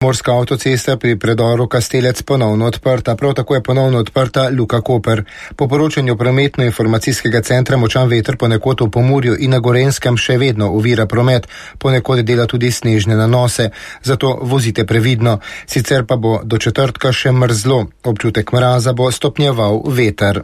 Morska avtocesta pri predoru Kastelec ponovno odprta, prav tako je ponovno odprta Luka Koper. Po poročanju prometno-informacijskega centra močan veter ponekod v Pomurju in na Gorenjskem še vedno ovira promet, ponekod dela tudi snežne nanose, zato vozite previdno. Sicer pa bo do četrtka še mrzlo, občutek mraza bo stopnjeval veter.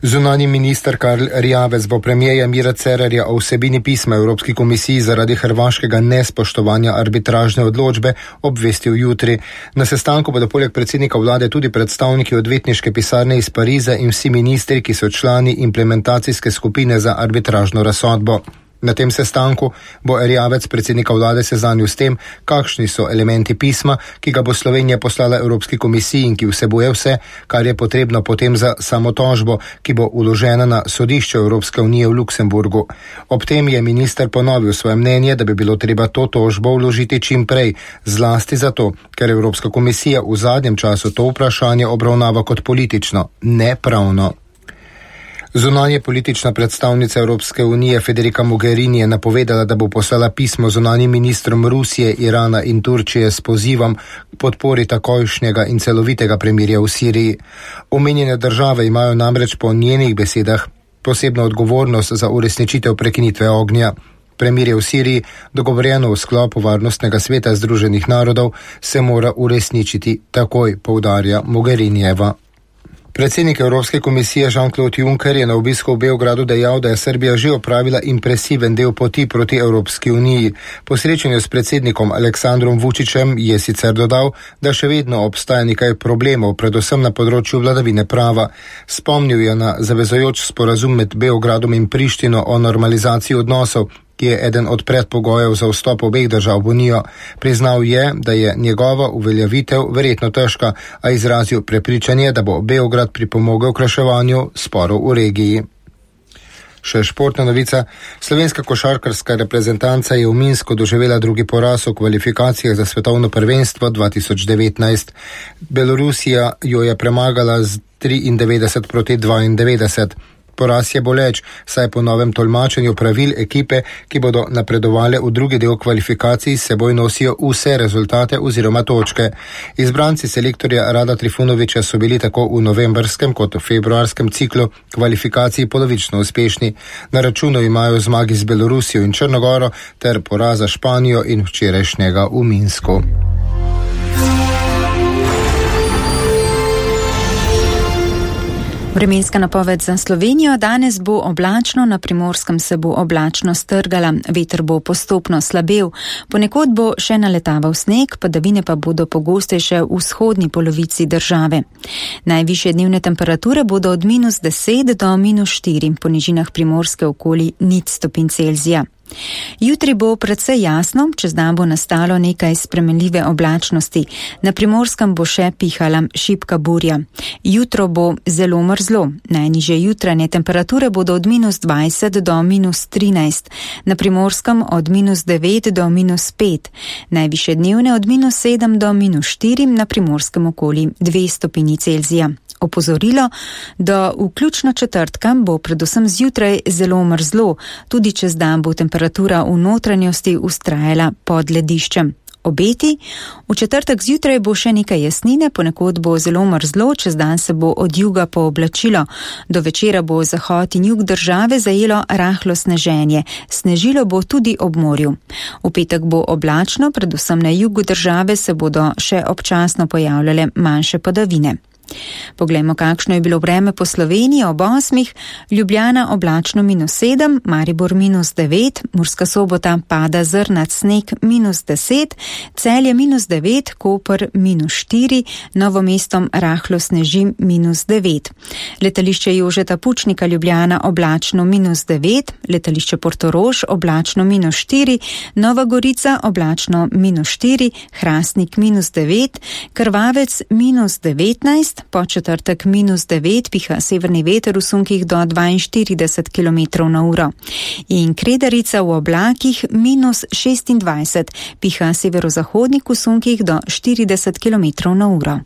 Zunanji minister Karl Erjavec bo premierja Mira Cerarja o vsebini pisma Evropski komisiji zaradi hrvaškega nespoštovanja arbitražne odločbe obvestil jutri. Na sestanku bodo poleg predsednika vlade tudi predstavniki odvetniške pisarne iz Pariza in vsi ministri, ki so člani implementacijske skupine za arbitražno razsodbo. Na tem sestanku bo Erjavec predsednika vlade seznanil s tem, kakšni so elementi pisma, ki ga bo Slovenija poslala Evropski komisiji in ki vsebuje vse, kar je potrebno potem za samotožbo, ki bo uložena na sodišče Evropske unije v Luksemburgu. Ob tem je minister ponovil svoje mnenje, da bi bilo treba to tožbo vložiti čim prej, zlasti zato, ker Evropska komisija v zadnjem času to vprašanje obravnava kot politično, ne pravno. Zunanje politična predstavnica Evropske unije Federica Mogherini je napovedala, da bo poslala pismo zunanjim ministrom Rusije, Irana in Turčije s pozivom k podpori takojšnjega in celovitega premirja v Siriji. Omenjene države imajo namreč po njenih besedah posebno odgovornost za uresničitev prekinitve ognja. Premirje v Siriji, dogovorjeno v sklopu Varnostnega sveta Združenih narodov, se mora uresničiti takoj, poudarja Mogherinijeva. Predsednik Evropske komisije Jean-Claude Juncker je na obisku v Beogradu dejal, da je Srbija že opravila impresiven del poti proti Evropski uniji. Po srečanju s predsednikom Aleksandrom Vučićem je sicer dodal, da še vedno obstaja nekaj problemov, predvsem na področju vladavine prava. Spomnil je na zavezujoč sporazum med Beogradom in Prištino o normalizaciji odnosov, ki je eden od predpogojev za vstop obeh držav v unijo. Priznal je, da je njegova uveljavitev verjetno težka, a izrazil prepričanje, da bo Beograd pripomogel k reševanju sporov v regiji. Še športna novica. Slovenska košarkarska reprezentanca je v Minsku doživela drugi poraz v kvalifikacijah za svetovno prvenstvo 2019. Belorusija jo je premagala z 93 proti 92. Poraz je boleč, saj po novem tolmačenju pravil ekipe, ki bodo napredovale v drugi del kvalifikacij, seboj nosijo vse rezultate oziroma točke. Izbranci selektorja Rada Trifunovića so bili tako v novembrskem kot v februarskem ciklu kvalifikacij polovično uspešni. Na računu imajo zmagi z Belorusijo in Črnogoro ter poraza Španijo in včerajšnjega v Minsku. Vremenska napoved za Slovenijo. Danes bo oblačno, na Primorskem se bo oblačno strgala, veter bo postopno slabel, ponekod bo še naletaval sneg, padavine pa bodo pogostejše v vzhodni polovici države. Najvišje dnevne temperature bodo od -10 do -4, po nižinah Primorske okoli 0 stopinj Celzija. Jutri bo precej jasno, čez dan bo nastalo nekaj spremenljive oblačnosti. Na Primorskem bo še pihala šibka burja. Jutro bo zelo mrzlo. Najnižje jutranje temperature bodo od -20 do -13. Na Primorskem od -9 do -5. Najvišje dnevne od -7 do -4, na Primorskem okoli 2 stopinji Celzija. Opozorilo, da vključno četrtka bo predvsem zjutraj zelo mrzlo, tudi čez dan bo temperatura v notranjosti vztrajala pod lediščem. Obeti, v četrtek zjutraj bo še nekaj jasnine, ponekod bo zelo mrzlo, čez dan se bo od juga pooblačilo. Do večera bo zahod in jug države zajelo rahlo sneženje, snežilo bo tudi ob morju. V petek bo oblačno, predvsem na jugu države se bodo še občasno pojavljale manjše padavine. Poglejmo, kakšno je bilo vreme po Sloveniji ob 8. Ljubljana oblačno -7, Maribor -9, Murska Sobota pada zrnat sneg -10, Celje -9, Koper -4, Novo Mesto rahlo sneži -9. Letališče Jožeta Pučnika Ljubljana oblačno -9, letališče Portorož oblačno -4, Nova Gorica oblačno -4, Hrastnik -9, Krvavec -19, po četrtek -9, piha severni veter v sunkih do 42 km/h. In Kredarica v oblakih -26, piha severozahodnik v sunkih do 40 km/h.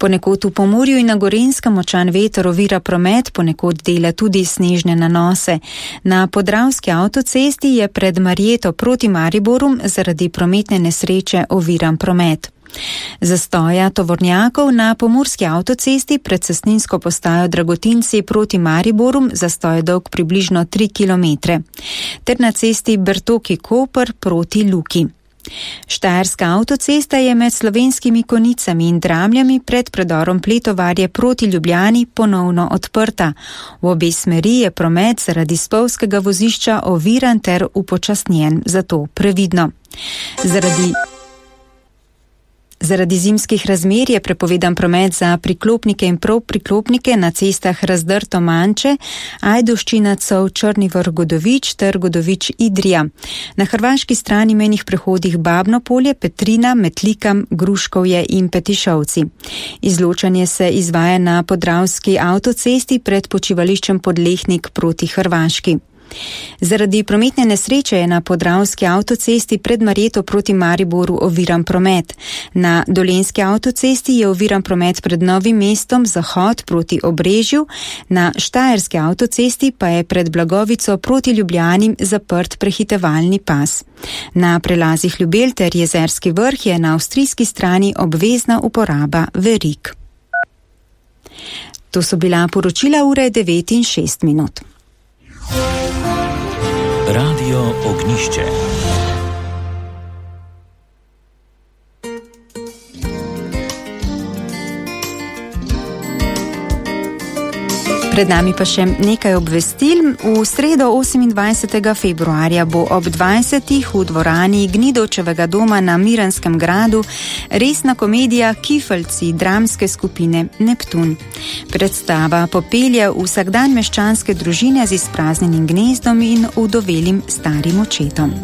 Ponekod v Pomurju in na Gorenjskem močan veter ovira promet, ponekod dela tudi snežne nanose. Na Podravski avtocesti je pred Marjeto proti Mariboru zaradi prometne nesreče oviran promet. Zastoja tovornjakov na Pomurski avtocesti pred cestninsko postajo Dragotinci proti Mariboru, zastoj dolg približno 3 km, ter na cesti Bertoki-Koper proti Luki. Štajerska avtocesta je med Slovenskimi Konicami in Dramljami pred predorom Pletovarje proti Ljubljani ponovno odprta. V obe smeri je promet zaradi spolzkega vozišča oviran ter upočasnjen, zato previdno. Zaradi zimskih razmer je prepovedan promet za priklopnike in polpriklopnike na cestah Razdrto-Manče, Ajdoščina-Cov, Črni Vrh-Godovič ter Godovič-Idrija. Na hrvaški strani mejnih prehodih Babno Polje, Petrina, Metlikam, Gruškovje in Petišovci. Izločanje se izvaja na Podravski avtocesti pred počivališčem Podlehnik proti Hrvaški. Zaradi prometne nesreče je na Podravski avtocesti pred Marjeto proti Mariboru oviran promet. Na Dolenjski avtocesti je oviran promet pred Novim mestom, zahod proti Obrežju, na Štajerski avtocesti pa je pred Blagovico proti Ljubljani zaprt prehitevalni pas. Na prelazih Ljubelj ter Jezerski Vrh je na avstrijski strani obvezna uporaba verig. To so bila poročila ure 9:06. Radio Ognišče. Pred nami pa še nekaj obvestil. V sredo 28. februarja bo ob 20. v dvorani Gnidovčevega doma na Miranskem gradu resna komedija Kifeljci dramske skupine Neptun. Predstava popelje vsakdan meščanske družine z izpraznjenim gnezdom in udovelim starim očetom.